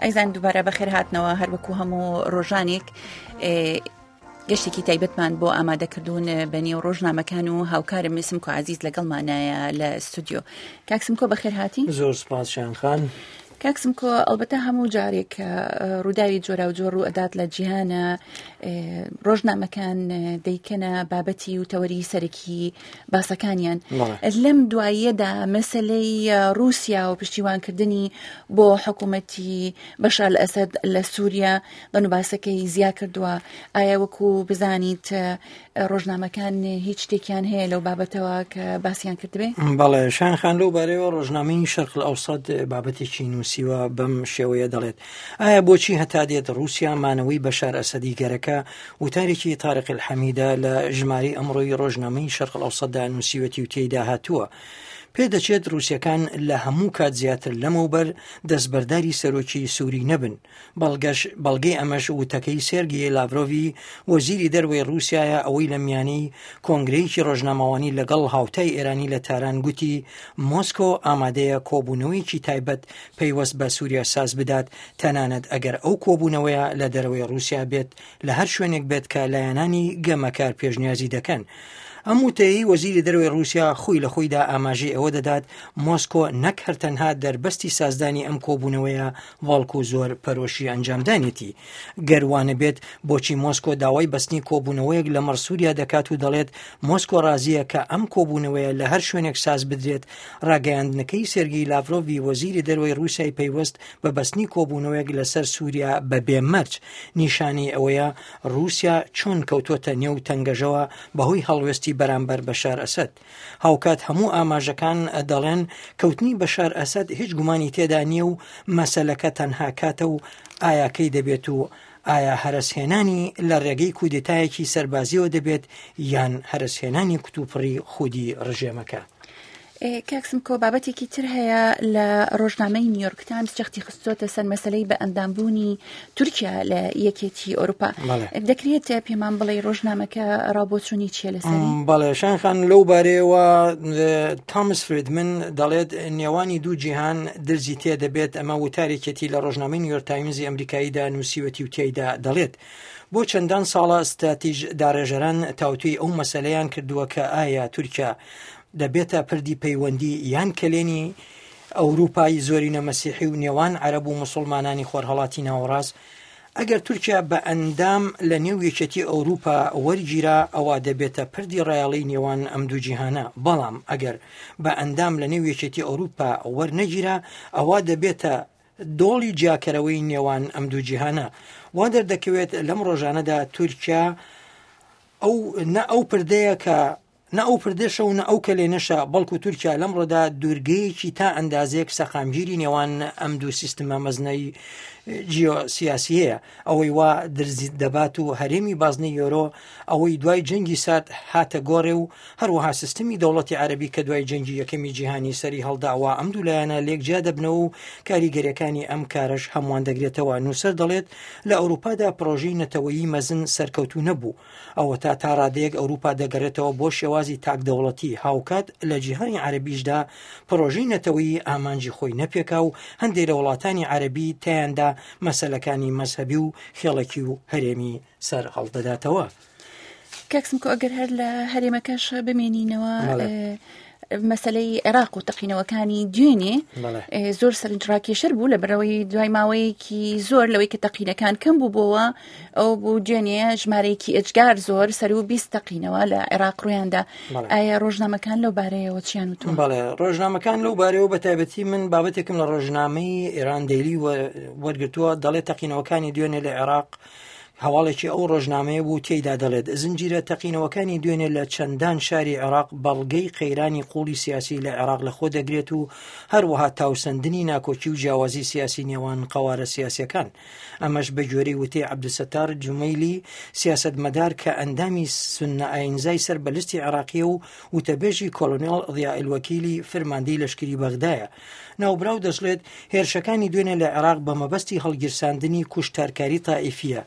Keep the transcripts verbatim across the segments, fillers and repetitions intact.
ئەیزان دووبارە بەخێرهاتنەوە هەروەکو هەموو ڕۆژانێک گەشتێکی تایبەتمان بۆ ئامادەکردوون بە نێو ڕۆژنامەکان و هاوکارم سمکۆ عەزیز لەگەڵمانایە لە ستودیۆ. کاک سمکۆ بەخێرهاتی. زۆر سپاس شایان خان. کاک سمکۆ، ئەلبەتە هەموو جارێک کە ڕووداوی جۆراوجۆر ڕوو ئەدات لە جیهانە، ڕۆژنامەکان دەیکەنە بابەتی و تەوەری سەرەکی باسەکانیان. لەم دواییەدا مەسلەی ڕووسیا و پشتیوانکردنی بۆ حکوومەتی بەشار ئەسەد لە سووریا دەن و باسەکەی زیا کردووە. ئایا وەکو بزانیت ڕۆژنامەکان هیچ شتێکیان هەیە لەو بابەتەوە کە باسییان کردبێ؟ بەڵێ شایان خان، لەو بارەیەوە ڕۆژنامەی شەرق ئەوسەد بابەتێکی نووسیوە بەم شێوەیە دەڵێت: ئایا بۆچی هەتا دێت ڕووسیا مانەوەی بەشار ئەسەدی گەرەکە؟ وتارێکی تارق الحەمیدە لە ژمارەی ئەمڕۆی ڕۆژنامەی شەرق ئەوسەددا نووسیوەتی و تێیدا هاتووە: پێدەچێت ڕووسیەکان لە هەموو کات زیاتر لەمەوبەر دەستبەرداری سەرۆکی سووری نەبن. بەڵگەش بەڵگەی ئەمەش وتەکەی سێرگی لاڤرۆڤی وەزیری دەرەوەی ڕووسیایە، ئەوەی لە میانەی کۆنگرەیەکی ڕۆژنامەوانی لەگەڵ هاوتای ئێرانی لە تاران گوتی مۆسکۆ ئامادەیە کۆبوونەوەیەکی تایبەت پەیوەست بە سووریا ساز بدات، تەنانەت ئەگەر ئەو کۆبوونەوەیە لە دەرەوەی ڕووسیا بێت، لە هەر شوێنێک بێت کە لایەنانی گەمەکار پێشنیازی دەکەن. ئەم وتەیەی وەزیری دەرەوەی ڕووسیا خۆی لە خۆیدا ئاماژەی ئەوە دەدات مۆسکۆ نەک هەر تەنها دەربەستی سازدانی ئەم کۆبوونەوەیە، بەڵکو زۆر پەرۆشی ئەنجامدانێتی. گەروانە بێت بۆچی مۆسکۆ داوای بەستنی کۆبوونەوەیەک لەمەڕ سووریا دەکات و دەڵێت مۆسکۆ ڕازیە کە ئەم کۆبوونەوەیە لە هەر شوێنێک ساز بدرێت. ڕاگەیاندنەکەی سێرگی لاڤرۆڤی وەزیری دەرەوەی ڕووسیای پەیوەست بە بەستنی کۆبوونەوەیەک لەسەر سووریا بە بێمەرج نیشانەی ئەوەیە ڕووسیا چۆن کەوتووەتە نێو تەنگەژەوە بەهۆی هەڵوێستی بەرامبەر بەشار ئەسەد. هاوکات هەموو ئاماژەکان دەڵێن کەوتنی بەشار ئەسەد هیچ گومانی تێدا نییە و مەسەلەکە تەنها کاتە و ئایا کەی دەبێت و ئایا هەرەسهێنانی لە ڕێگەی کودێتایەکی سەربازیەوە دەبێت یان هەرەسهێنانی کتوپڕی خودی ڕژێمەکە. کاک سمکۆ، بابەتێکی تر هەیە لە ڕۆژنامەی نیویۆرک تایمز جەختی خستۆتە سەر مەسلەی بە ئەندامبوونی تورکیا لە یەکێتی ئەوروپا. دەکرێت پێمان بڵێ ڕۆژنامەکە ڕابۆچوونی چییە لەسەری؟ بەڵێ شایان خان، لەو بارەیەوە تامس فریدمن دەڵێت نێوانی دوو جیهان درزی تێ دەبێت. ئەمە وتارێکێتی لە ڕۆژنامەی نیویۆرک تایمزی ئەمریکاییدا نووسیوەتی و تێیدا دەڵێت بۆ چەندان ساڵە ستراتیژ داڕێژەران تاوتوێی ئەو مەسەلەیان کردووە کە ئایا تورکیا دەبێتە پردی پەیوەندی یان کەلێنی ئەوروپای زۆرینە مەسیحی و نێوان عەرەب و مسلمانانی خۆرهەڵاتی ناوەڕاست. ئەگەر تورکیا بە ئەندام لە نێو یەکێتی ئەوروپا وەرگیرا ئەوە دەبێتە پردی ڕایەڵی نێوان ئەم دوو جیهانە، بەڵام ئەگەر بە ئەندام لە نێو یەکێتی ئەوروپا وەرنەگیرا ئەوە دەبێتە دۆڵی جیاکەرەوەی نێوان ئەم دوو جیهانە. وا دەردەکەوێت لەم ڕۆژانەدا تورکیا ئەو نە ئەو پردەیە کە نە ئەو پردەشە و نە ئەو کەلێنەشە، بەڵکو تورکیا لەمڕۆدا دوورگەیەکی تا ئەندازێک سەقامگیری نێوان ئەم دوو سیستمە مەزنەی جیۆسیاسیەیە. ئەوەی وا درزی دەبات و هەرێمی بازنەی یۆرۆ ئەوەی دوای جەنگی سارد هاتە گۆڕێ و هەروەها سیستمی دەوڵەتی عەرەبی کە دوای جەنگی یەکەمی جیهانی سەری هەڵداوە، ئەم دوو لایەنە لێک جیا دەبنەوە و کاریگەریەکانی ئەم کارەش هەمووان دەگرێتەوە. نووسەر دەڵێت لە ئەوروپادا پرۆژەی نەتەوەیی مەزن سەرکەوتوو نەبوو، ئەوە تا تا ڕادەیەک ئەوروپا دەگەڕێتەوە بۆ شێوازی تاک دەوڵەتی. هاوکات لە جیهانی عەرەبیشدا پرۆژەی نەتەوەیی ئامانجی خۆی نەپێکا و هەندێک لە وڵاتانی عەرەبی تیاندا مەسەلەکانی مەزهەبی و خێڵەکی و هەرێمی سەر هەڵدەداتەوە. کاک سمکۆ، ئەگەر هەر لە هەرێمەکەش بمێنینەوە، مەسلەی عێراق و تەقینەوەکانی دوێنێ زۆر سەرنجڕاکێشەر بوو، لە بەرەوەی دوای ماوەیەکی زۆر لەوەی کە تەقینەکان کەم بوو بۆوە ئەو بوو دوێنێ ژمارەیەکی ئێجگار زۆر سەر و بیست تەقینەوە لە عێراق ڕوویاندا. ئایا ڕۆژنامەکان لەو بارەیەوە چیان وتووە؟ بەڵێ، ڕۆژنامەکان لەو بارەیەوە بە تایبەتی من بابەتێکم لە ڕۆژنامەی ئێران دەیلی وەرگرتووە، دەڵێت تەقینەوەکانی دوێنێ لە عێراق هەواڵێکی ئەو ڕۆژنامەیە بوو تێیدا دەڵێت زنجیرە تەقینەوەکانی دوێنێ لە چەندان شاری عێراق بەڵگەی قەیرانی قوڵی سیاسی لە عێراق لەخۆ دەگرێت و هەروەها تاوسەندنی ناکۆکی و جیاوازی سیاسی نێوان قەوارە سیاسیەکان. ئەمەش بە گوێرەی وتەی عەبدولستار جومەیلی سیاسەتمەدار کە ئەندامی سوننە ئاینزای سەر بە لیستی عێراقیە و وتەبێژی کۆلۆنێڵ ضیاء الوەکیلی فرماندەی لەشکری بەغدایە. ناوبراو دەشڵێت هێرشەکانی دوێنێ لە عێراق بە مەبەستی هەڵگیرساندنی کوشتارکاری تائیفیە.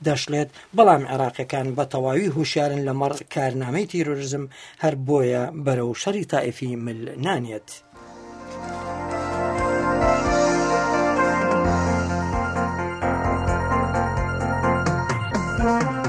دەشڵێت بەڵام عێراقیەکان بە تەواوی هوشیارن لەمەڕ کارنامەی تیرۆریزم، هەر بۆیە بەرەو شەڕی تائیفی مل نانێت. Thank you.